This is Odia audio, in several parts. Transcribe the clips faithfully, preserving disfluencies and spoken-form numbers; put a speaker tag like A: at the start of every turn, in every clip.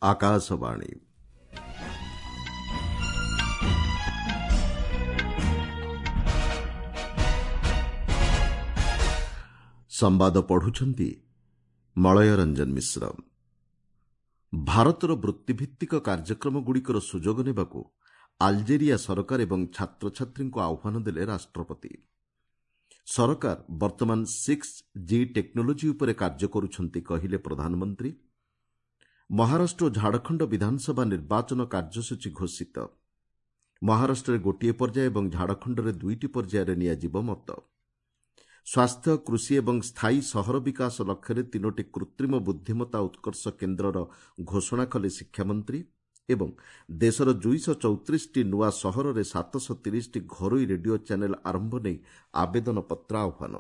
A: ଆକାଶବାଣୀ। ସମ୍ବାଦ ପଢୁଛନ୍ତି ମଳୟ ରଞ୍ଜନ ମିଶ୍ର। ଭାରତର ବୃତ୍ତିଭିତ୍ତିକ କାର୍ଯ୍ୟକ୍ରମଗୁଡ଼ିକର ସୁଯୋଗ ନେବାକୁ ଆଲଜେରିଆ ସରକାର ଏବଂ ଛାତ୍ରଛାତ୍ରୀଙ୍କୁ ଆହ୍ୱାନ ଦେଲେ ରାଷ୍ଟ୍ରପତି। ସରକାର ବର୍ତ୍ତମାନ ସିକ୍ସ ଜି ଟେକ୍ନୋଲୋଜି ଉପରେ କାର୍ଯ୍ୟ କରୁଛନ୍ତି, କହିଲେ ପ୍ରଧାନମନ୍ତ୍ରୀ। ମହାରାଷ୍ଟ୍ର ଓ ଝାଡ଼ଖଣ୍ଡ ବିଧାନସଭା ନିର୍ବାଚନ କାର୍ଯ୍ୟସୂଚୀ ଘୋଷିତ। ମହାରାଷ୍ଟ୍ରରେ ଗୋଟିଏ ପର୍ଯ୍ୟାୟ ଏବଂ ଝାଡ଼ଖଣ୍ଡରେ ଦୁଇଟି ପର୍ଯ୍ୟାୟରେ ନିଆଯିବ ମତ। ସ୍ୱାସ୍ଥ୍ୟ, କୃଷି ଏବଂ ସ୍ଥାୟୀ ସହର ବିକାଶ ଲକ୍ଷ୍ୟରେ ତିନୋଟି କୃତ୍ରିମ ବୁଦ୍ଧିମତ୍ତା ଉତ୍କର୍ଷ କେନ୍ଦ୍ରର ଘୋଷଣା କଲେ ଶିକ୍ଷାମନ୍ତ୍ରୀ ଏବଂ ଦେଶର ଦୁଇଶହ ଚଉତିରିଶଟି ନୂଆ ସହରରେ ସାତଶହ ତିରିଶଟି ଘରୋଇ ରେଡିଓ ଚ୍ୟାନେଲ୍ ଆରମ୍ଭ ନେଇ ଆବେଦନପତ୍ର ଆହ୍ୱାନ।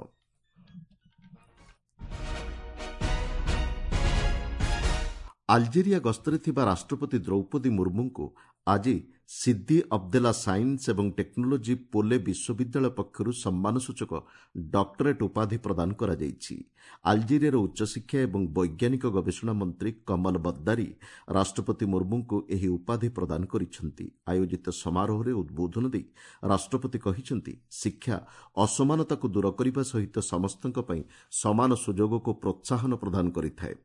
A: ଆଲଜେରିଆ ଗସ୍ତରେ ଥିବା ରାଷ୍ଟ୍ରପତି ଦ୍ରୌପଦୀ ମୁର୍ମୁଙ୍କୁ ଆଜି ସିଦ୍ଦି ଅବଦେଲା ସାଇନ୍ସ ଏବଂ ଟେକ୍ନୋଲୋଜି ପୋଲେ ବିଶ୍ୱବିଦ୍ୟାଳୟ ପକ୍ଷରୁ ସମ୍ମାନସୂଚକ ଡକ୍ଟରେଟ୍ ଉପାଧି ପ୍ରଦାନ କରାଯାଇଛି। ଆଲଜେରିଆର ଉଚ୍ଚଶିକ୍ଷା ଏବଂ ବୈଜ୍ଞାନିକ ଗବେଷଣା ମନ୍ତ୍ରୀ କମଲ ବଦ୍ଦାରୀ ରାଷ୍ଟ୍ରପତି ମୁର୍ମୁଙ୍କୁ ଏହି ଉପାଧି ପ୍ରଦାନ କରିଛନ୍ତି। ଆୟୋଜିତ ସମାରୋହରେ ଉଦ୍ବୋଧନ ଦେଇ ରାଷ୍ଟ୍ରପତି କହିଛନ୍ତି, ଶିକ୍ଷା ଅସମାନତାକୁ ଦୂର କରିବା ସହିତ ସମସ୍ତଙ୍କ ପାଇଁ ସମାନ ସୁଯୋଗକୁ ପ୍ରୋତ୍ସାହନ ପ୍ରଦାନ କରିଥାଏ।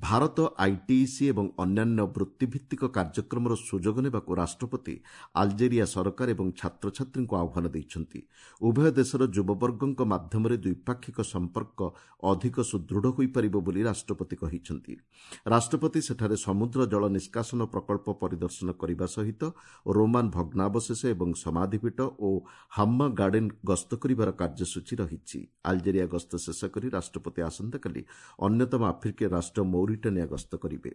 A: ଭାରତ ଆଇଟିଇସି ଏବଂ ଅନ୍ୟାନ୍ୟ ବୃତ୍ତିଭିତ୍ତିକ କାର୍ଯ୍ୟକ୍ରମର ସୁଯୋଗ ନେବାକୁ ରାଷ୍ଟ୍ରପତି ଆଲଜେରିଆ ସରକାର ଏବଂ ଛାତ୍ରଛାତ୍ରୀଙ୍କୁ ଆହ୍ୱାନ ଦେଇଛନ୍ତି। ଉଭୟ ଦେଶର ଯୁବବର୍ଗଙ୍କ ମାଧ୍ୟମରେ ଦ୍ୱିପାକ୍ଷିକ ସମ୍ପର୍କ ଅଧିକ ସୁଦୃଢ଼ ହୋଇପାରିବ ବୋଲି ରାଷ୍ଟ୍ରପତି କହିଛନ୍ତି। ରାଷ୍ଟ୍ରପତି ସେଠାରେ ସମୁଦ୍ର ଜଳ ନିଷ୍କାସନ ପ୍ରକଳ୍ପ ପରିଦର୍ଶନ କରିବା ସହିତ ରୋମାନ ଭଗ୍ନାବଶେଷ ଏବଂ ସମାଧିପୀଠ ଓ ହାମ୍ମା ଗାର୍ଡେନ୍ ଗସ୍ତ କରିବାର କାର୍ଯ୍ୟସୂଚୀ ରହିଛି। ଆଲଜେରିଆ ଗସ୍ତ ଶେଷ କରି ରାଷ୍ଟ୍ରପତି ଆସନ୍ତାକାଲି ଅନ୍ୟତମ ଆଫ୍ରିକୀୟ ରାଷ୍ଟ୍ର ମୌରିଟାନିଆ ଗସ୍ତ କରିବେ।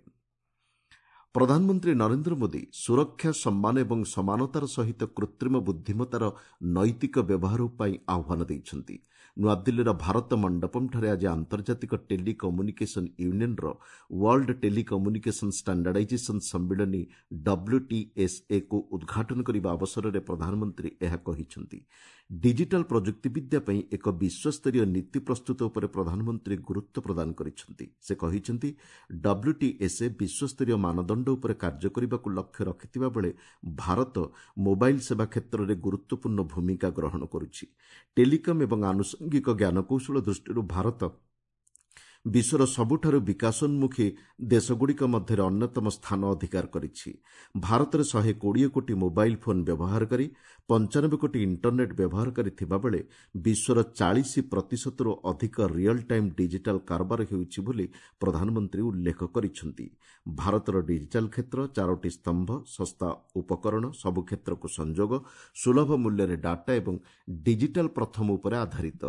A: ପ୍ରଧାନମନ୍ତ୍ରୀ ନରେନ୍ଦ୍ର ମୋଦି ସୁରକ୍ଷା, ସମ୍ମାନ ଏବଂ ସମାନତାର ସହିତ କୃତ୍ରିମ ବୁଦ୍ଧିମତ୍ତାର ନୈତିକ ବ୍ୟବହାର ପାଇଁ ଆହ୍ୱାନ ଦେଇଛନ୍ତି। ନୂଆଦିଲ୍ଲୀର ଭାରତ ମଣ୍ଡପମ୍ଠାରେ ଆଜି ଆନ୍ତର୍ଜାତିକ ଟେଲି କମ୍ୟୁନିକେସନ୍ ୟୁନିୟନ୍ର ୱାର୍ଲଡ ଟେଲି କମ୍ୟୁନିକେସନ୍ ଷ୍ଟାଣ୍ଡାର୍ଡାଇଜେସନ୍ ସମ୍ମିଳନୀ ଡବ୍ଲ୍ୟୁଟିଏସ୍ଏକୁ ଉଦ୍ଘାଟନ କରିବା ଅବସରରେ ପ୍ରଧାନମନ୍ତ୍ରୀ ଏହା କହିଛନ୍ତି। ଡିଜିଟାଲ୍ ପ୍ରଯୁକ୍ତିବିଦ୍ୟା ପାଇଁ ଏକ ବିଶ୍ୱସ୍ତରୀୟ ନୀତି ପ୍ରସ୍ତୁତ ଉପରେ ପ୍ରଧାନମନ୍ତ୍ରୀ ଗୁରୁତ୍ୱ ପ୍ରଦାନ କରିଛନ୍ତି। ସେ କହିଛନ୍ତି, ଡବ୍ଲ୍ୟୁଟିଏସ୍ଏ ବିଶ୍ୱସ୍ତରୀୟ ମାନଦଣ୍ଡ ଉପରେ କାର୍ଯ୍ୟ କରିବାକୁ ଲକ୍ଷ୍ୟ ରଖିଥିବା ବେଳେ ଭାରତ ମୋବାଇଲ୍ ସେବା କ୍ଷେତ୍ରରେ ଗୁରୁତ୍ୱପୂର୍ଣ୍ଣ ଭୂମିକା ଗ୍ରହଣ କରୁଛି। ଟେଲିକମ୍ ଏବଂ ଆନୁଷଙ୍ଗିକ ଜ୍ଞାନକୌଶଳ ଦୃଷ୍ଟିରୁ ଭାରତ ବିଶ୍ୱର ସବୁଠାରୁ ବିକାଶୋନ୍ମୁଖୀ ଦେଶଗୁଡ଼ିକ ମଧ୍ୟରେ ଅନ୍ୟତମ ସ୍ଥାନ ଅଧିକାର କରିଛି। ଭାରତରେ ଶହେ କୋଡ଼ିଏ କୋଟି ମୋବାଇଲ୍ ଫୋନ୍ ବ୍ୟବହାରକାରୀ, ପଞ୍ଚାନବେ କୋଟି ଇଣ୍ଟରନେଟ୍ ବ୍ୟବହାରକାରୀ ଥିବାବେଳେ ବିଶ୍ୱର ଚାଳିଶ ପ୍ରତିଶତରୁ ଅଧିକ ରିଅଲ୍ ଟାଇମ୍ ଡିଜିଟାଲ୍ କାରବାର ହେଉଛି ବୋଲି ପ୍ରଧାନମନ୍ତ୍ରୀ ଉଲ୍ଲେଖ କରିଛନ୍ତି। ଭାରତର ଡିଜିଟାଲ୍ କ୍ଷେତ୍ର ଚାରୋଟି ସ୍ତମ୍ଭ, ଶସ୍ତା ଉପକରଣ, ସବୁ କ୍ଷେତ୍ରକୁ ସଂଯୋଗ, ସୁଲଭ ମୂଲ୍ୟରେ ଡାଟା ଏବଂ ଡିଜିଟାଲ୍ ପ୍ରଥମ ଉପରେ ଆଧାରିତ।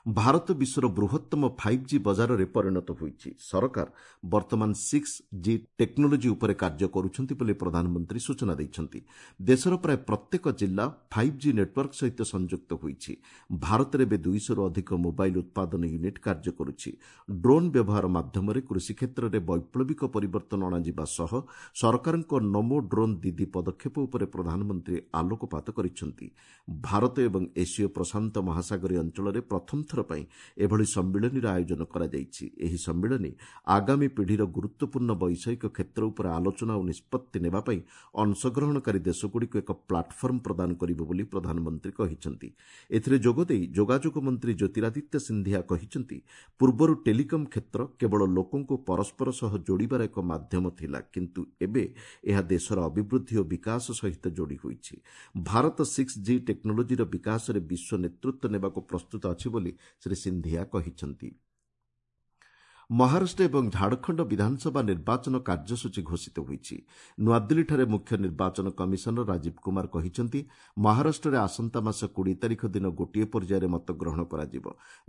A: ଭାରତ ବିଶ୍ୱର ବୃହତ୍ତମ ଫାଇଭ୍ ଜି ବଜାରରେ ପରିଣତ ହୋଇଛି। ସରକାର ବର୍ତ୍ତମାନ ସିକ୍ସ ଜି ଟେକ୍ନୋଲୋଜି ଉପରେ କାର୍ଯ୍ୟ କରୁଛନ୍ତି ବୋଲି ପ୍ରଧାନମନ୍ତ୍ରୀ ସୂଚନା ଦେଇଛନ୍ତି। ଦେଶର ପ୍ରାୟ ପ୍ରତ୍ୟେକ ଜିଲ୍ଲା ଫାଇଭ୍ ଜି ନେଟୱାର୍କ ସହିତ ସଂଯୁକ୍ତ ହୋଇଛି। ଭାରତରେ ଏବେ ଦୁଇଶହରୁ ଅଧିକ ମୋବାଇଲ୍ ଉତ୍ପାଦନ ୟୁନିଟ୍ କାର୍ଯ୍ୟ କରୁଛି। ଡ୍ରୋନ୍ ବ୍ୟବହାର ମାଧ୍ୟମରେ କୃଷି କ୍ଷେତ୍ରରେ ବୈପ୍ଳବିକ ପରିବର୍ତ୍ତନ ଅଣାଯିବା ସହ ସରକାରଙ୍କ ନମୋ ଡ୍ରୋନ୍ ଦିଦି ପଦକ୍ଷେପ ଉପରେ ପ୍ରଧାନମନ୍ତ୍ରୀ ଆଲୋକପାତ କରିଛନ୍ତି। ଭାରତ ଏବଂ ଏସୀୟ ପ୍ରଶାନ୍ତ ମହାସାଗରୀୟ ଅଞ୍ଚଳରେ ପ୍ରଥମ ଥର ପାଇଁ ଏଭଳି ସମ୍ମିଳନୀର ଆୟୋଜନ କରାଯାଇଛି। ଏହି ସମ୍ମିଳନୀ ଆଗାମୀ ପିଢ଼ିର ଗୁରୁତ୍ୱପୂର୍ଣ୍ଣ ବୈଷୟିକ କ୍ଷେତ୍ର ଉପରେ ଆଲୋଚନା ଓ ନିଷ୍ପତ୍ତି ନେବା ପାଇଁ ଅଂଶଗ୍ରହଣକାରୀ ଦେଶଗୁଡ଼ିକୁ ଏକ ପ୍ଲାଟଫର୍ମ ପ୍ରଦାନ କରିବ ବୋଲି ପ୍ରଧାନମନ୍ତ୍ରୀ କହିଛନ୍ତି। ଏଥିରେ ଯୋଗଦେଇ ଯୋଗାଯୋଗ ମନ୍ତ୍ରୀ ଜ୍ୟୋତିରାଦିତ୍ୟ ସିନ୍ଧିଆ କହିଛନ୍ତି, ପୂର୍ବରୁ ଟେଲିକମ୍ କ୍ଷେତ୍ର କେବଳ ଲୋକଙ୍କୁ ପରସ୍ପର ସହ ଯୋଡ଼ିବାର ଏକ ମାଧ୍ୟମ ଥିଲା, କିନ୍ତୁ ଏବେ ଏହା ଦେଶର ଅଭିବୃଦ୍ଧି ଓ ବିକାଶ ସହିତ ଯୋଡ଼ି ହୋଇଛି। ଭାରତ ସିକ୍ସ ଜି ଟେକ୍ନୋଲୋଜିର ବିକାଶରେ ବିଶ୍ୱ ନେତୃତ୍ୱ ନେବାକୁ ପ୍ରସ୍ତୁତ ଅଛି ବୋଲି ଶ୍ରୀ ସିନ୍ଧିଆ କହିଛନ୍ତି। ମହାରାଷ୍ଟ୍ର ଏବଂ ଝାଡ଼ଖଣ୍ଡ ବିଧାନସଭା ନିର୍ବାଚନ କାର୍ଯ୍ୟସୂଚୀ ଘୋଷିତ ହୋଇଛି। ନୂଆଦିଲ୍ଲୀଠାରେ ମୁଖ୍ୟ ନିର୍ବାଚନ କମିଶନର ରାଜୀବ କୁମାର କହିଛନ୍ତି, ମହାରାଷ୍ଟ୍ରରେ ଆସନ୍ତା ମାସ କୋଡ଼ିଏ ତାରିଖ ଦିନ ଗୋଟିଏ ପର୍ଯ୍ୟାୟରେ ମତଗ୍ରହଣ କରାଯିବ।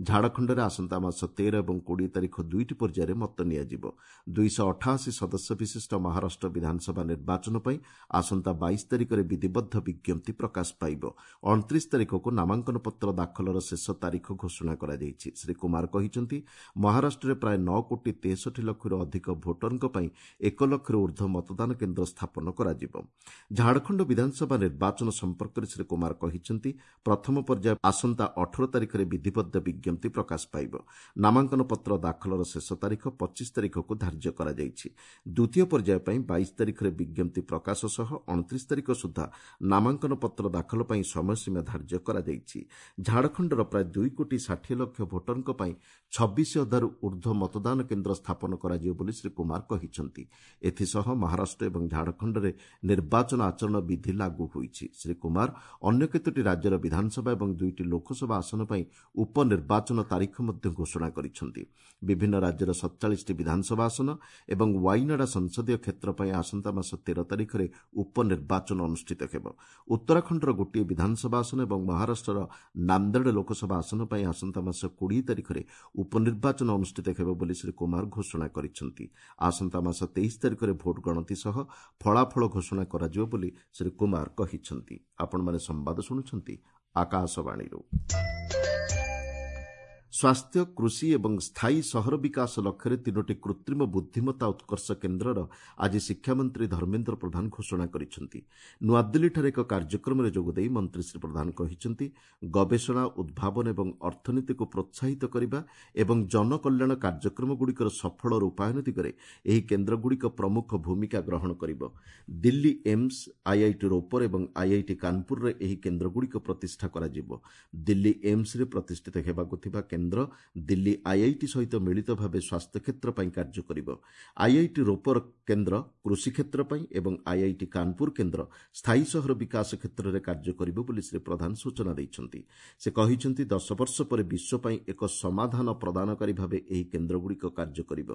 A: ଝାଡ଼ଖଣ୍ଡରେ ଆସନ୍ତା ମାସ ତେର ଏବଂ କୋଡ଼ିଏ ତାରିଖ ଦୁଇଟି ପର୍ଯ୍ୟାୟରେ ମତ ନିଆଯିବ। ଦୁଇଶହ ଅଠାଅଶୀ ସଦସ୍ୟ ବିଶିଷ୍ଟ ମହାରାଷ୍ଟ୍ର ବିଧାନସଭା ନିର୍ବାଚନ ପାଇଁ ଆସନ୍ତା ବାଇଶ ତାରିଖରେ ବିଧିବଦ୍ଧ ବିଜ୍ଞପ୍ତି ପ୍ରକାଶ ପାଇବ। ଅଣତିରିଶ ତାରିଖକୁ ନାମାଙ୍କନପତ୍ର ଦାଖଲର ଶେଷ ତାରିଖ ଘୋଷଣା କରାଯାଇଛି। ଶ୍ରୀ କୁମାର କହିଛନ୍ତି, ମହାରାଷ୍ଟ୍ରରେ ପ୍ରାୟ ନଅ କୋଟି ତେଷଠି ଲକ୍ଷରୁ ଅଧିକ ଭୋଟରଙ୍କ ପାଇଁ ଏକ ଲକ୍ଷରୁ ଉର୍ଦ୍ଧ୍ୱ ମତଦାନ କେନ୍ଦ୍ର ସ୍ଥାପନ କରାଯିବ। ଝାଡ଼ଖଣ୍ଡ ବିଧାନସଭା ନିର୍ବାଚନ ସମ୍ପର୍କରେ ଶ୍ରୀ କୁମାର କହିଛନ୍ତି, ପ୍ରଥମ ପର୍ଯ୍ୟାୟ ଆସନ୍ତା ଅଠର ତାରିଖରେ ବିଧିବଦ୍ଧ ବିଜ୍ଞପ୍ତି ପ୍ରକାଶ ପାଇବ। ନାମାଙ୍କନ ପତ୍ର ଦାଖଲର ଶେଷ ତାରିଖ ପଚିଶ ତାରିଖକୁ ଧାର୍ଯ୍ୟ କରାଯାଇଛି। ଦ୍ୱିତୀୟ ପର୍ଯ୍ୟାୟ ପାଇଁ ବାଇଶ ତାରିଖରେ ବିଜ୍ଞପ୍ତି ପ୍ରକାଶ ସହ ଅଣତିରିଶ ତାରିଖ ସୁଦ୍ଧା ନାମାଙ୍କନ ପତ୍ର ଦାଖଲ ପାଇଁ ସମୟସୀମା ଧାର୍ଯ୍ୟ କରାଯାଇଛି। ଝାଡ଼ଖଣ୍ଡର ପ୍ରାୟ ଦୁଇ କୋଟି ଷାଠିଏ ଲକ୍ଷ ଭୋଟରଙ୍କ ପାଇଁ ଛବିଶ ହଜାରରୁ ଉର୍ଦ୍ଧ୍ୱ ମତଦାନ କେନ୍ଦ୍ର ସ୍ଥାପନ କରାଯିବ ବୋଲି ଶ୍ରୀ କୁମାର କହିଛନ୍ତି। ଏଥିସହ ମହାରାଷ୍ଟ୍ର ଏବଂ ଝାଡ଼ଖଣ୍ଡରେ ନିର୍ବାଚନ ଆଚରଣ ବିଧି ଲାଗୁ ହୋଇଛି। ଶ୍ରୀ କୁମାର ଅନ୍ୟ କେତୋଟି ରାଜ୍ୟର ବିଧାନସଭା ଏବଂ ଦୁଇଟି ଲୋକସଭା ଆସନ ପାଇଁ ଉପନିର୍ବାଚନ ତାରିଖ ମଧ୍ୟ ଘୋଷଣା କରିଛନ୍ତି। ବିଭିନ୍ନ ରାଜ୍ୟର ସତଚାଳିଶଟି ବିଧାନସଭା ଆସନ ଏବଂ ୱାଇନାଡା ସଂସଦୀୟ କ୍ଷେତ୍ର ପାଇଁ ଆସନ୍ତା ମାସ ତେର ତାରିଖରେ ଉପନିର୍ବାଚନ ଅନୁଷ୍ଠିତ ହେବ। ଉତ୍ତରାଖଣ୍ଡର ଗୋଟିଏ ବିଧାନସଭା ଆସନ ଏବଂ ମହାରାଷ୍ଟ୍ରର ନାନ୍ଦେଡ଼ ଲୋକସଭା ଆସନ ପାଇଁ ଆସନ୍ତା ମାସ କୋଡ଼ିଏ ତାରିଖରେ ଉପନିର୍ବାଚନ ଅନୁଷ୍ଠିତ ହେବ ବୋଲି ଶ୍ରୀ କୁମାର ଘୋଷଣା କରିଛନ୍ତି। ଆସନ୍ତା ମାସ ତେଇଶ ତାରିଖରେ ଭୋଟ ଗଣତି ସହ ଫଳାଫଳ ଘୋଷଣା କରାଯିବ ବୋଲି ଶ୍ରୀ କୁମାର କହିଛନ୍ତି। ଆପଣମାନେ ସମ୍ବାଦ ଶୁଣୁଛନ୍ତି ଆକାଶବାଣୀରୁ। ସ୍ୱାସ୍ଥ୍ୟ, କୃଷି ଏବଂ ସ୍ଥାୟୀ ସହର ବିକାଶ ଲକ୍ଷ୍ୟରେ ତିନୋଟି କୃତ୍ରିମ ବୁଦ୍ଧିମତ୍ତା ଉତ୍କର୍ଷ କେନ୍ଦ୍ରର ଆଜି ଶିକ୍ଷାମନ୍ତ୍ରୀ ଧର୍ମେନ୍ଦ୍ର ପ୍ରଧାନ ଘୋଷଣା କରିଛନ୍ତି। ନୂଆଦିଲ୍ଲୀଠାରେ ଏକ କାର୍ଯ୍ୟକ୍ରମରେ ଯୋଗଦେଇ ମନ୍ତ୍ରୀ ଶ୍ରୀ ପ୍ରଧାନ କହିଛନ୍ତି, ଗବେଷଣା, ଉଦ୍ଭାବନ ଏବଂ ଅର୍ଥନୀତିକୁ ପ୍ରୋତ୍ସାହିତ କରିବା ଏବଂ ଜନକଲ୍ୟାଣ କାର୍ଯ୍ୟକ୍ରମଗୁଡ଼ିକର ସଫଳ ରୂପାୟନ ଦିଗରେ ଏହି କେନ୍ଦ୍ରଗୁଡ଼ିକ ପ୍ରମୁଖ ଭୂମିକା ଗ୍ରହଣ କରିବ। ଦିଲ୍ଲୀ ଏମ୍ସ, ଆଇଆଇଟି ରୋପର ଏବଂ ଆଇଆଇଟି କାନପୁରରେ ଏହି କେନ୍ଦ୍ରଗୁଡ଼ିକ ପ୍ରତିଷ୍ଠା କରାଯିବ। ଦିଲ୍ଲୀ ଏମ୍ସରେ ପ୍ରତିଷ୍ଠିତ ହେବାକୁ ଥିବା କେନ୍ଦ୍ର ଦିଲ୍ଲୀ ଆଇଆଇଟି ସହିତ ମିଳିତ ଭାବେ ସ୍ୱାସ୍ଥ୍ୟକ୍ଷେତ୍ର ପାଇଁ କାର୍ଯ୍ୟ କରିବ। ଆଇଆଇଟି ରୋପର କେନ୍ଦ୍ର କୃଷି କ୍ଷେତ୍ର ପାଇଁ ଏବଂ ଆଇଆଇଟି କାନପୁର କେନ୍ଦ୍ର ସ୍ଥାୟୀ ସହର ବିକାଶ କ୍ଷେତ୍ରରେ କାର୍ଯ୍ୟ କରିବ ବୋଲି ଶ୍ରୀ ପ୍ରଧାନ ସୂଚନା ଦେଇଛନ୍ତି। ସେ କହିଛନ୍ତି, ଦଶ ବର୍ଷ ପରେ ବିଶ୍ୱ ପାଇଁ ଏକ ସମାଧାନ ପ୍ରଦାନକାରୀ ଭାବେ ଏହି କେନ୍ଦ୍ରଗୁଡ଼ିକ କାର୍ଯ୍ୟ କରିବ।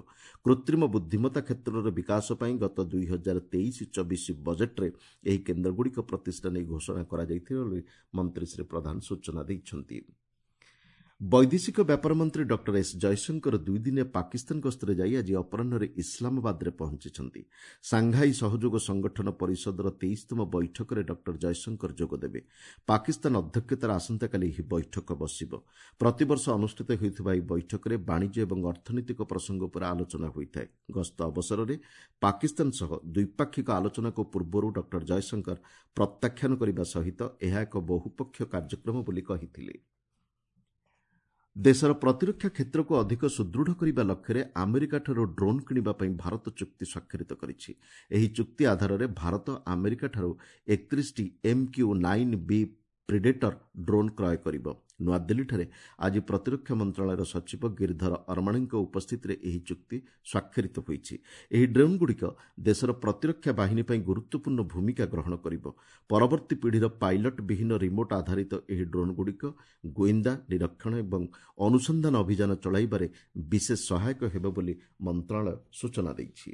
A: କୃତ୍ରିମ ବୁଦ୍ଧିମତ୍ତା କ୍ଷେତ୍ରର ବିକାଶ ପାଇଁ ଗତ ଦୁଇ ହଜାର ତେଇଶ ଚବିଶ ବଜେଟ୍ରେ ଏହି କେନ୍ଦ୍ରଗୁଡ଼ିକ ପ୍ରତିଷ୍ଠା ନେଇ ଘୋଷଣା କରାଯାଇଥିଲା ବୋଲି ମନ୍ତ୍ରୀ ଶ୍ରୀ ପ୍ରଧାନ ସୂଚନା ଦେଇଛନ୍ତି। ବୈଦେଶିକ ବ୍ୟାପାର ମନ୍ତ୍ରୀ ଡକ୍ଟର ଏସ୍ ଜୟଶଙ୍କର ଦୁଇଦିନିଆ ପାକିସ୍ତାନ ଗସ୍ତରେ ଯାଇ ଆଜି ଅପରାହ୍ନରେ ଇସଲାମାବାଦରେ ପହଞ୍ଚିଛନ୍ତି। ସାଂଘାଇ ସହଯୋଗ ସଂଗଠନ ପରିଷଦର ତେଇଶତମ ବୈଠକରେ ଡକ୍ଟର ଜୟଶଙ୍କର ଯୋଗଦେବେ। ପାକିସ୍ତାନ ଅଧ୍ୟକ୍ଷତାରେ ଆସନ୍ତାକାଲି ଏହି ବୈଠକ ବସିବ। ପ୍ରତିବର୍ଷ ଅନୁଷ୍ଠିତ ହେଉଥିବା ଏହି ବୈଠକରେ ବାଣିଜ୍ୟ ଏବଂ ଅର୍ଥନୈତିକ ପ୍ରସଙ୍ଗ ଉପରେ ଆଲୋଚନା ହୋଇଥାଏ। ଗସ୍ତ ଅବସରରେ ପାକିସ୍ତାନ ସହ ଦ୍ୱିପାକ୍ଷିକ ଆଲୋଚନାକୁ ପୂର୍ବରୁ ଡକ୍ଟର ଜୟଶଙ୍କର ପ୍ରତ୍ୟାଖ୍ୟାନ କରିବା ସହିତ ଏହା ଏକ ବହୁପକ୍ଷ କାର୍ଯ୍ୟକ୍ରମ ବୋଲି କହିଥିଲେ। ଦେଶର ପ୍ରତିରକ୍ଷା କ୍ଷେତ୍ରକୁ ଅଧିକ ସୁଦୃଢ଼ କରିବା ଲକ୍ଷ୍ୟରେ ଆମେରିକାଠାରୁ ଡ୍ରୋନ୍ କିଣିବା ପାଇଁ ଭାରତ ଚୁକ୍ତି ସ୍ୱାକ୍ଷରିତ କରିଛି। ଏହି ଚୁକ୍ତି ଆଧାରରେ Bharat ଆମେରିକାଠାରୁ ଏକତିରିଶଟି M Q nine B Predator drone କ୍ରୟ କରିବ। ନୂଆଦିଲ୍ଲୀଠାରେ ଆଜି ପ୍ରତିରକ୍ଷା ମନ୍ତ୍ରଣାଳୟର ସଚିବ ଗିରିଧର ଅରମାଣେଙ୍କ ଉପସ୍ଥିତିରେ ଏହି ଚୁକ୍ତି ସ୍ୱାକ୍ଷରିତ ହୋଇଛି। ଏହି ଡ୍ରୋନ୍ଗୁଡ଼ିକ ଦେଶର ପ୍ରତିରକ୍ଷା ବାହିନୀ ପାଇଁ ଗୁରୁତ୍ୱପୂର୍ଣ୍ଣ ଭୂମିକା ଗ୍ରହଣ କରିବ। ପରବର୍ତ୍ତୀ ପିଢ଼ିର ପାଇଲଟ୍ ବିହୀନ ରିମୋଟ୍ ଆଧାରିତ ଏହି ଡ୍ରୋନ୍ଗୁଡ଼ିକ ଗୋଇନ୍ଦା, ନିରୀକ୍ଷଣ ଏବଂ ଅନୁସନ୍ଧାନ ଅଭିଯାନ ଚଳାଇବାରେ ବିଶେଷ ସହାୟକ ହେବ ବୋଲି ମନ୍ତ୍ରଣାଳୟ ସୂଚନା ଦେଇଛି।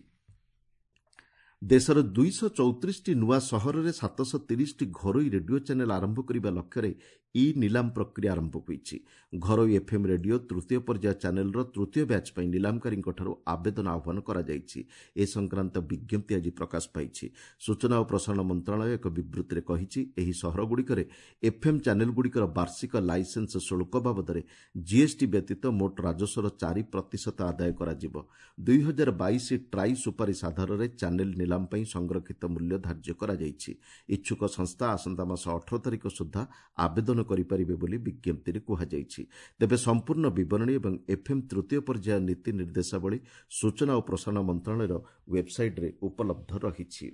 A: ଦେଶର ଦୁଇଶହ ଚଉତିରିଶଟି ନୂଆ ସହରରେ ସାତଶହ ତିରିଶଟି ଘରୋଇ ରେଡିଓ ଚ୍ୟାନେଲ୍ ଆରମ୍ଭ କରିବା ଲକ୍ଷ୍ୟରେ ଇ ନିଲାମ ପ୍ରକ୍ରିୟା ଆରମ୍ଭ ହୋଇଛି। ଘରୋଇ ଏଫ୍ଏମ୍ ରେଡିଓ ତୃତୀୟ ପର୍ଯ୍ୟାୟ ଚ୍ୟାନେଲ୍ର ତୃତୀୟ ବ୍ୟାଚ୍ ପାଇଁ ନିଲାମକାରୀଙ୍କଠାରୁ ଆବେଦନ ଆହ୍ୱାନ କରାଯାଇଛି। ଏ ସଂକ୍ରାନ୍ତ ବିଜ୍ଞପ୍ତି ଆଜି ପ୍ରକାଶ ପାଇଛି। ସୂଚନା ଓ ପ୍ରସାରଣ ମନ୍ତ୍ରଣାଳୟ ଏକ ବିବୃତ୍ତିରେ କହିଛି, ଏହି ସହରଗୁଡ଼ିକରେ ଏଫ୍ଏମ୍ ଚ୍ୟାନେଲ୍ଗୁଡ଼ିକର ବାର୍ଷିକ ଲାଇସେନ୍ସ ଶୁଳ୍କ ବାବଦରେ ଜିଏସ୍ଟି ବ୍ୟତୀତ ମୋଟ ରାଜସ୍ୱର ଚାରି ପ୍ରତିଶତ ଆଦାୟ କରାଯିବ। ଦୁଇ ହଜାର ବାଇଶ ଟ୍ରାଇ ସୁପାରିଶ ଆଧାରରେ ଚ୍ୟାନେଲ୍ ନିଲାମ ପାଇଁ ସଂରକ୍ଷିତ ମୂଲ୍ୟ ଧାର୍ଯ୍ୟ କରାଯାଇଛି। ଇଚ୍ଛୁକ ସଂସ୍ଥା ଆସନ୍ତା ମାସ ଅଠର ତାରିଖ ସୁଦ୍ଧା ଆବେଦନ କରିପାରିବେ ବୋଲି ବିଜ୍ଞପ୍ତିରେ କୁହାଯାଇଛି। ତେବେ ସମ୍ପୂର୍ଣ୍ଣ ବିବରଣୀ ଏବଂ ଏଫ୍ଏମ୍ ତୃତୀୟ ପର୍ଯ୍ୟାୟ ନୀତି ନିର୍ଦ୍ଦେଶାବଳୀ ସୂଚନା ଓ ପ୍ରସାରଣ ମନ୍ତ୍ରଣାଳୟର ୱେବ୍ସାଇଟ୍ରେ ଉପଲବ୍ଧ ରହିଛି।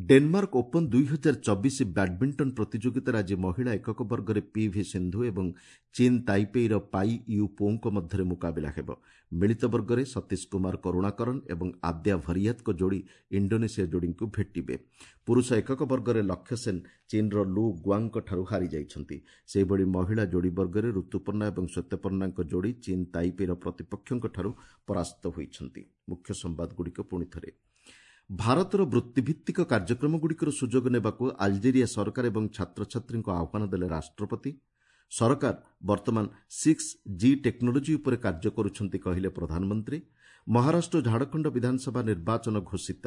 A: ଡେନମାର୍କ ଓପନ୍ ଦୁଇ ହଜାର ଚବିଶ ବ୍ୟାଡ୍ମିଣ୍ଟନ ପ୍ରତିଯୋଗିତାରେ ଆଜି ମହିଳା ଏକକ ବର୍ଗରେ ପିଭି ସିନ୍ଧୁ ଏବଂ ଚୀନ୍ ତାଇପେଇର ପାଇ you ପୋଙ୍କ ମଧ୍ୟରେ ମୁକାବିଲା ହେବ। ମିଳିତ ବର୍ଗରେ ସତୀଶ କୁମାର କରୁଣାକରନ୍ ଏବଂ ଆଦ୍ୟା ଭରିୟାତଙ୍କ ଯୋଡ଼ି ଇଣ୍ଡୋନେସିଆ ଯୋଡ଼ିଙ୍କୁ ଭେଟିବେ। ପୁରୁଷ ଏକକ ବର୍ଗରେ ଲକ୍ଷ୍ୟ ସେନ୍ ଚୀନ୍ର ଲୁ ଗୁଆଙ୍ଗଙ୍କଠାରୁ ହାରିଯାଇଛନ୍ତି। ସେହିଭଳି ମହିଳା ଯୋଡ଼ି ବର୍ଗରେ ଋତୁପର୍ଣ୍ଣା ଏବଂ ଶ୍ୱେତପର୍ଣ୍ଣାଙ୍କ ଯୋଡ଼ି ଚୀନ୍ ତାଇପେଇର ପ୍ରତିପକ୍ଷଙ୍କଠାରୁ ପରାସ୍ତ ହୋଇଛନ୍ତି। ମୁଖ୍ୟ ସମ୍ବାଦଗୁଡ଼ିକ ପୁଣିଥରେ। ଭାରତର ବୃତ୍ତିଭିତ୍ତିକ କାର୍ଯ୍ୟକ୍ରମଗୁଡ଼ିକର ସୁଯୋଗ ନେବାକୁ ଆଲଜେରିଆ ସରକାର ଏବଂ ଛାତ୍ରଛାତ୍ରୀଙ୍କୁ ଆହ୍ୱାନ ଦେଲେ ରାଷ୍ଟ୍ରପତି। ସରକାର ବର୍ତ୍ତମାନ ସିକ୍ସ ଜି ଟେକ୍ନୋଲୋଜି ଉପରେ କାର୍ଯ୍ୟ କରୁଛନ୍ତି କହିଲେ ପ୍ରଧାନମନ୍ତ୍ରୀ। ମହାରାଷ୍ଟ୍ର ଓ ଝାଡ଼ଖଣ୍ଡ ବିଧାନସଭା ନିର୍ବାଚନ ଘୋଷିତ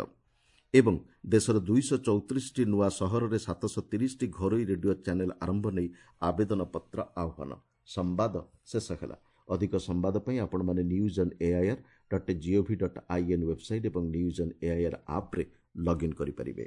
A: ଏବଂ ଦେଶର ଦୁଇଶହ ଚଉତିରିଶଟି ନୂଆ ସହରରେ ସାତଶହ ତିରିଶଟି ଘରୋଇ ରେଡିଓ ଚ୍ୟାନେଲ୍ ଆରମ୍ଭ ନେଇ ଆବେଦନପତ୍ର ଆହ୍ୱାନ। ସମ୍ବାଦ ଶେଷ ହେଲା। ଅଧିକ ସମ୍ବାଦ ପାଇଁ ଆପଣମାନେ news on AIR dot gov dot in website ଏବଂ ନ୍ୟୁଜ୍ ଅନ୍ ଏଆଇଆର୍ ଆପ୍ରେ ଲଗ୍ଇନ୍ କରିପାରିବେ।